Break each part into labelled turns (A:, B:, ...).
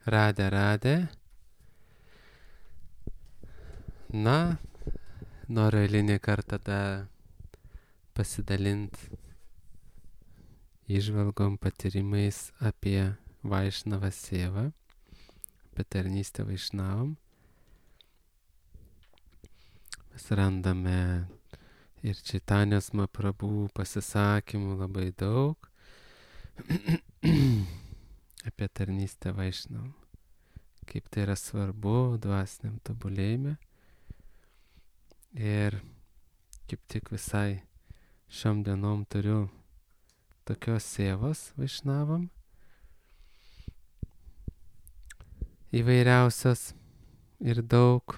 A: Radė. Na, noriu eilinį kartą pasidalinti įžvalgom, patyrimais apie Vaišnavą Sėvą, apie tarnystę Vaišnavam. Mes randame ir Čaitanijos Mahaprabhu pasisakymų labai daug apie tarnystę Vaišnavam, kaip tai yra svarbu dvasiniam tobulėjime. Ir kaip tik visai šiom dienom turiu tokios sėvos Vaišnavam, įvairiausios ir daug.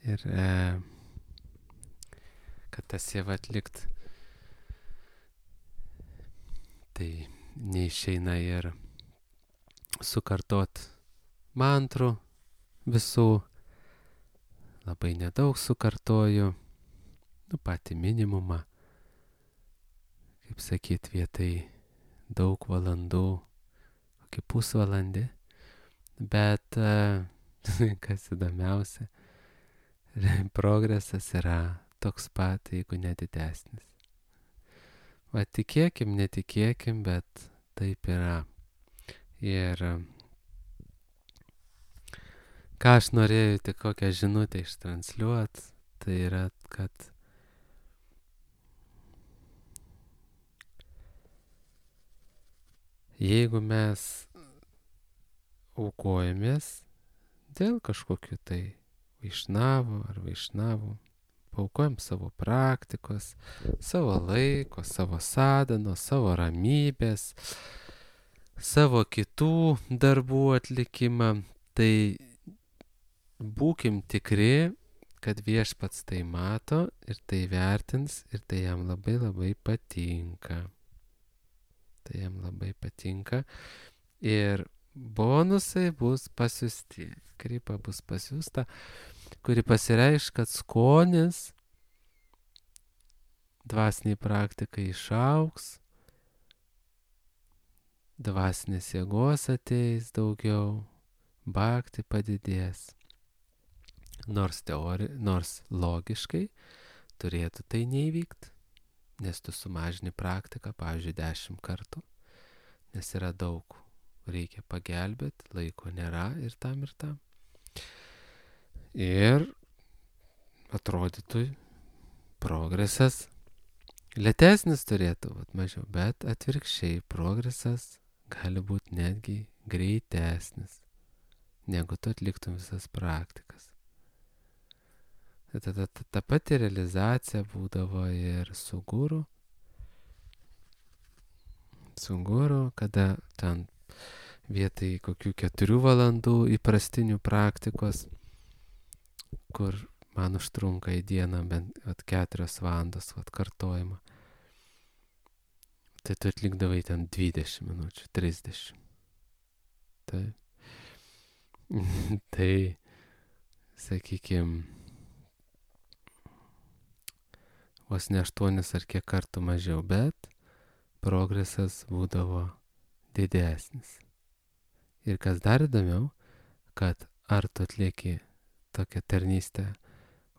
A: Ir kad tą sėvą atlikt, tai neišeina ir sukartot mantrų visų. Labai nedaug sukartoju, patį minimumą, kaip sakyt, vietai daug valandų, kokį pusvalandį, bet kas įdomiausia, progresas yra toks pat, jeigu nedidesnis. Va, tikėkim, netikėkim, bet taip yra. Ir ką aš norėjau tik kokią žinutę ištransliuot, tai yra, kad jeigu mes aukojamės dėl kažkokių tai vaišnavų ar vaišnavų, paaukojam savo praktikos, savo laiko, savo sadhano, savo ramybės, savo kitų darbų atlikimą, tai būkim tikri, kad Viešpats tai mato ir tai vertins ir tai jam labai labai patinka. Tai jam labai patinka. Ir bonusai bus pasiusti. Kripa bus pasiusta, kuri pasireiš, kad skonis dvasiniai praktikai išauks, dvasinės jėgos ateis daugiau, bhakti padidės. Nors logiškai turėtų tai neįvykti, nes tu sumažini praktiką, pavyzdžiui, 10 kartų, nes yra daug, reikia pagelbėti, laiko nėra ir tam. Ir atrodytų progresas lėtesnis turėtų būti mažiau, bet atvirkščiai progresas gali būti netgi greitesnis, negu tu atliktum visas praktikas. Ta pati realizacija būdavo ir su guru. Su guru, kada ten vietoj kokių 4 valandų įprastinių praktikos, kur man užtrunka į dieną bent 4 valandos kartojimą, tai tu atlikdavai ten 20 minučių, 30. Tai sakykime, vos ne 8 ar kiek kartų mažiau, bet progresas būdavo didesnis. Ir kas dar įdomiau, kad ar tu atlieki tokią tarnystę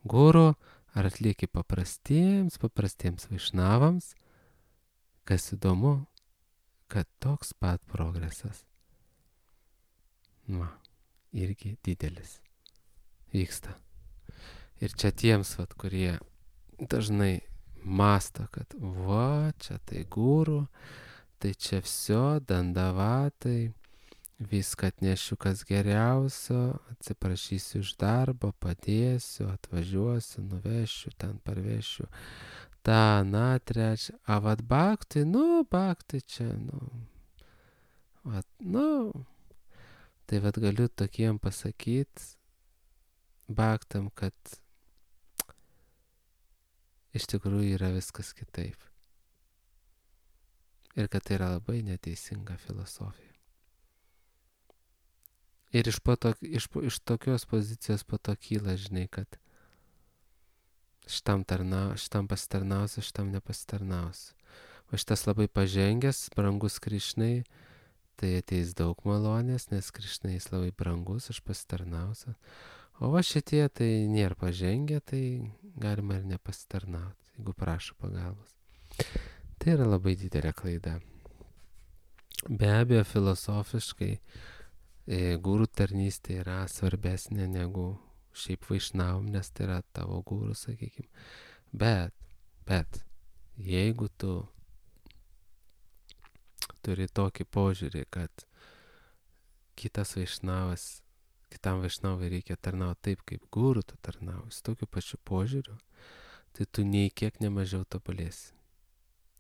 A: guru, ar atlieki paprastiems vaišnavams, kas įdomu, kad toks pat progresas, irgi didelis vyksta. Ir čia tiems, kurie dažnai masto, kad čia tai guru, tai čia vsio, dandavatai, viską atnešiu kas geriausio, atsiprašysiu iš darbo, padėsiu, atvažiuosiu, nuvešiu, ten parvešiu, trečią, bhakti, bhakti čia, tai galiu tokiem pasakyti bhaktam, kad iš tikrųjų yra viskas kitaip. Ir kad tai yra labai neteisinga filosofija. Ir iš tokios pozicijos po to kyla, žinai, kad šitam pasitarnausiu, šitam nepasitarnausiu. O šitas labai pažengęs, brangus Krišnai, tai ateis daug malonės, nes Krišna jis labai brangus, aš pasitarnausiu. O va šitie tai nėra pažengę, tai galima ir nepasitarnauti, jeigu prašo pagalbos. Tai yra labai didelė klaida. Be abejo, filosofiškai gūrų tarnystė yra svarbesnė negu šiaip vaišnavom, nes tai yra tavo gūrų, sakykime. Bet, jeigu tu turi tokį požiūrį, kad kitam vaišnavui reikia tarnauti taip, kaip gūrų tu tarnauji, su tokiu pačiu požiūriu, tai tu nei kiek nemažiau tobulėsi.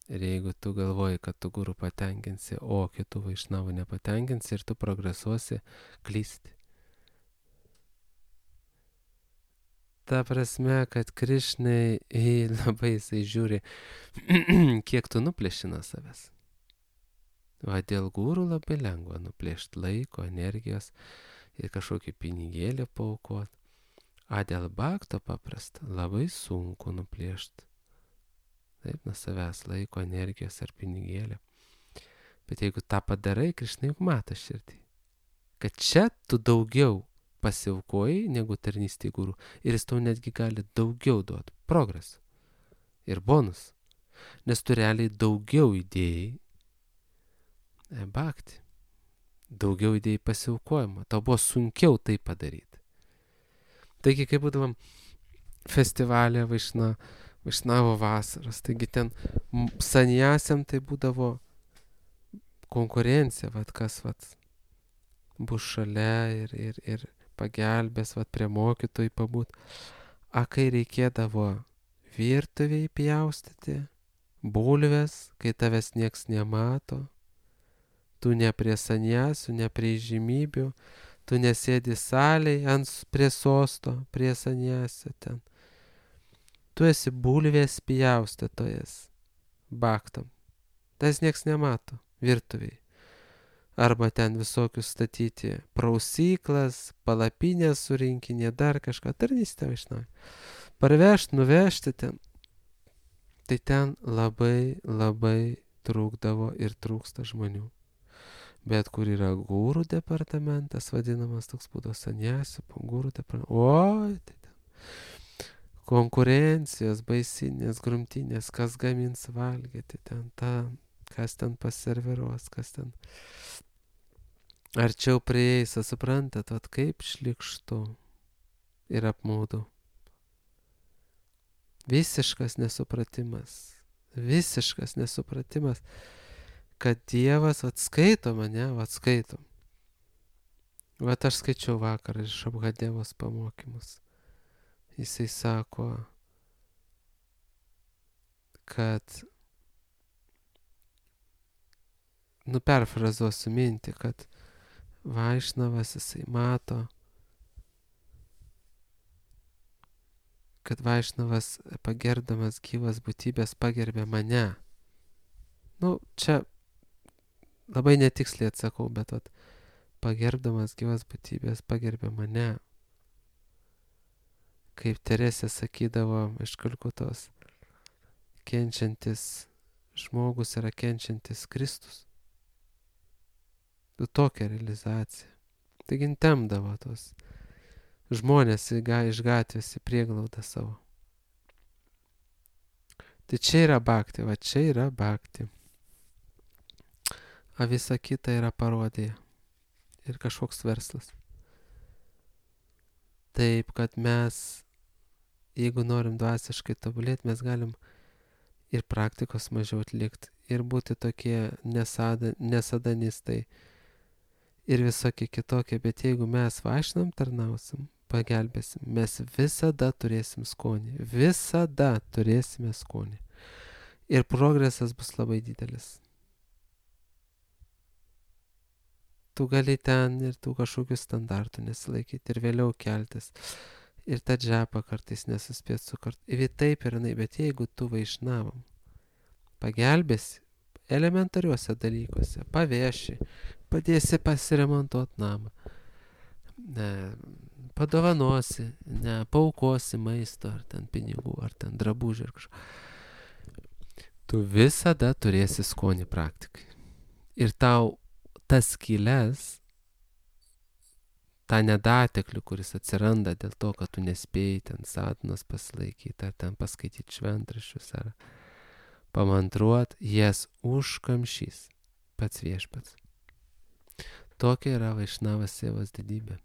A: Ir jeigu tu galvoji, kad tu gūrų patenkinsi, o kitų vaišnavų nepatenkinsi ir tu progresuosi, klysti. Ta prasme, kad Krišnai labai jisai žiūri, kiek tu nuplėši nuo savęs. Va dėl gūrų labai lengva nuplėšti laiko, energijos ir kažkokį pinigėlį paaukoti. A dėl bakto paprasta, labai sunku nuplėšti. Taip, nuo savęs laiko, energijos ar pinigėlį. Bet jeigu tą padarai, Krišna juk mato širdį. Kad čia tu daugiau pasiaukojai negu tarnystė gūrų. Ir jis tau netgi gali daugiau duoti progresą. Ir bonus. Nes tu realiai daugiau įdėjai bakti. Daugiau įdėjai pasiaukojimą. Tau buvo sunkiau tai padaryti. Taigi, kai būdavom festivalė Vaišnavo vasaros, taigi ten sanjasiam tai būdavo konkurencija, kas bus šalia ir pagelbės, prie mokytojų pabūt. A kai reikėdavo virtuviai pjaustyti, bulves, kai tavęs nieks nemato, tu ne prie sanjasių, ne prie žymybių, tu nesėdi salėje prie sosto, prie sanjasio ten. Tu esi bulvės pjaustytojas baktam. Tas nieks nemato virtuviai. Arba ten visokius statyti prausyklas, palapinės surinkinė, dar kažką. Tarnystė vaišnavai. Parvežti, nuvežti ten. Tai ten labai trūkdavo ir trūksta žmonių. Bet kur yra gūrų departamentas, vadinamas toks būdavo sanjasių, gūrų departamentas. Oi, tai ten. Konkurencijos, baisinės, grumtinės, kas gamins valgyti ten, kas ten paserviruos, kas ten arčiau prieis, suprantat, kaip šlykštu ir apmaudu. Visiškas nesupratimas, kad Dievas atskaito mane, atskaito. Aš skaičiau vakar iš Abhadevos pamokymus. Jisai sako, kad, perfrazuosiu mintį, kad Vaišnavas jisai mato, kad Vaišnavas pagerdamas gyvas būtybės pagerbė mane. Čia labai netiksliai atsakau, bet pagerbdamas gyvas būtybės pagerbė mane. Kaip Teresė sakydavo iš Kalkutos, kenčiantis žmogus yra kenčiantis Kristus. Tokia realizacija. Taigi temdavo tos žmonės iš gatvės į prieglaudą savo. Tai čia yra bhakti, čia yra bhakti. A visa kita yra parodija ir kažkoks verslas. Taip, kad mes, jeigu norim dvasiškai tobulėti, mes galim ir praktikos mažiau atlikti, ir būti tokie nesadanistai, ir visokie kitokie, bet jeigu mes vaišnam tarnausim, pagelbėsim, mes visada turėsim skonį, visada turėsime skonį. Ir progresas bus labai didelis. Tu gali ten ir tų kažkokių standartų nesilaikyti ir vėliau keltis. Ir tą džepą kartais nesuspėt sukart. Ir taip ir jinai, bet jeigu tu vaišnavam, pagelbėsi elementariuose dalykuose, paveši, padėsi pasiremontuoti namą, padovanosi, paaukosi maisto, ar ten pinigų, ar ten drabužių, ar kažko. Tu visada turėsi skonį praktikai. Ir tau tas skylės, tą nedateklių, kuris atsiranda dėl to, kad tu nespėjai ten sadhanos pasilaikyti, ar ten paskaityti šventraščius, ar pamantruot, jas užkamšys pats viešpats. Tokia yra Vaišnavas Sievos didybė.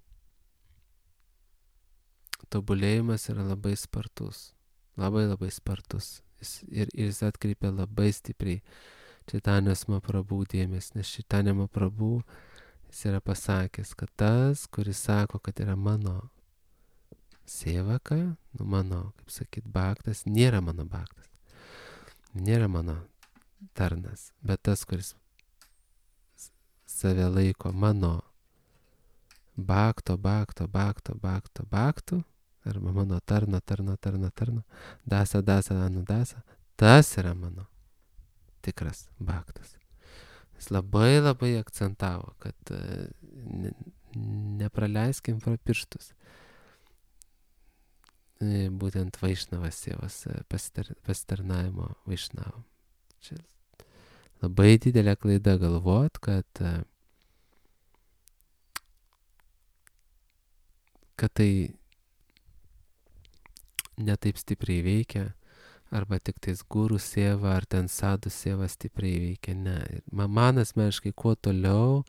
A: Tobulėjimas yra labai spartus. Labai labai spartus. Ir jis atkreipia labai stipriai Čaitanijos Mahaprabhu dėmesį, nes Čaitanija Mahaprabhu jis yra pasakęs, kad tas, kuris sako, kad yra mano sievaka, mano, kaip sakyt, bhaktas, nėra mano bhaktas. Nėra mano tarnas, bet tas, kuris save laiko mano bhakto, arba mano tarno, dasa, anudasa, tas yra mano tikras bhaktas. Jis labai labai akcentavo, kad nepraleiskim pro pirštus. Būtent Vaišnavas Sievos pasitarnavimo Vaišnavam. Čia labai didelė klaida galvot, kad tai netaip stipriai veikia, arba tik tais gurų sieva, ar ten sadų sieva stipriai veikia. Ne. Man asmeniškai, kuo toliau,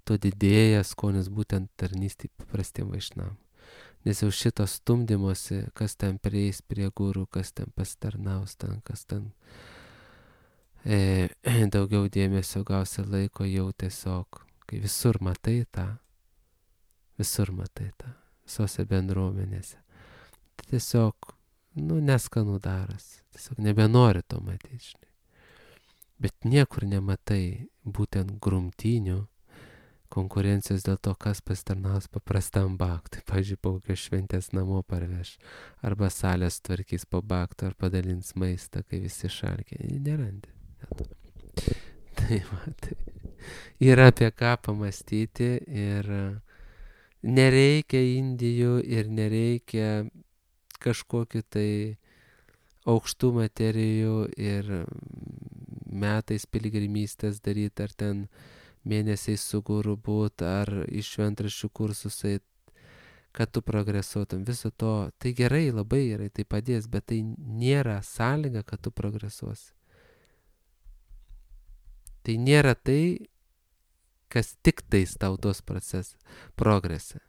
A: tuo didėja skonis būtent tarnystė paprastiem Vaišnavam. Nes jau šito stumdymosi, kas ten prieis prie gurų, kas ten pasitarnaus, kas ten daugiau dėmesio gausi laiko, jau tiesiog, kai visur matai tą, visose bendruomenėse. Tai tiesiog, neskanų daras, tiesiog nebenori to matyti, žinai. Bet niekur nematai būtent grumtynių, konkurencijos dėl to, kas pasitarnaus paprastam bhaktui. Pavyzdžiui, po kokios šventės namo parveš, arba salės tvarkys po bhakto, ar padalins maistą, kai visi šalkia. Nerandi. Tai yra apie ką pamastyti ir nereikia Indijų ir nereikia kažkokiu tai aukštų materijų ir metais piligrimystės daryti, ar ten mėnesiais su guru būt, ar iš šventraščių kursus eit, kad tu progresuotum. Viso to, tai gerai, labai gerai, tai padės, bet tai nėra sąlyga, kad tu progresuosi. Tai nėra tai, kas tik tais tau duos progresą.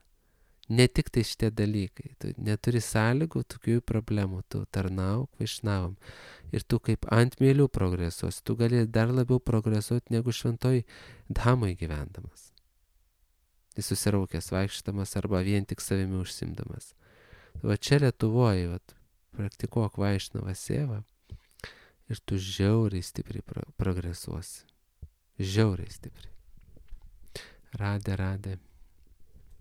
A: Ne tik tai šitie dalykai. Tu neturi sąlygų, tokių problemų. Tu tarnauk Vaišnavam. Ir tu kaip ant mielių progresuos. Tu gali dar labiau progresuoti negu šventoj dhamoj gyvendamas. Tai susiraukęs vaikštamas arba vien tik savimi užsimdamas. Va čia Lietuvoje, praktikuok Vaišnavą Sievą ir tu žiauriai stipriai progresuosi. Žiauriai stipriai. Radė.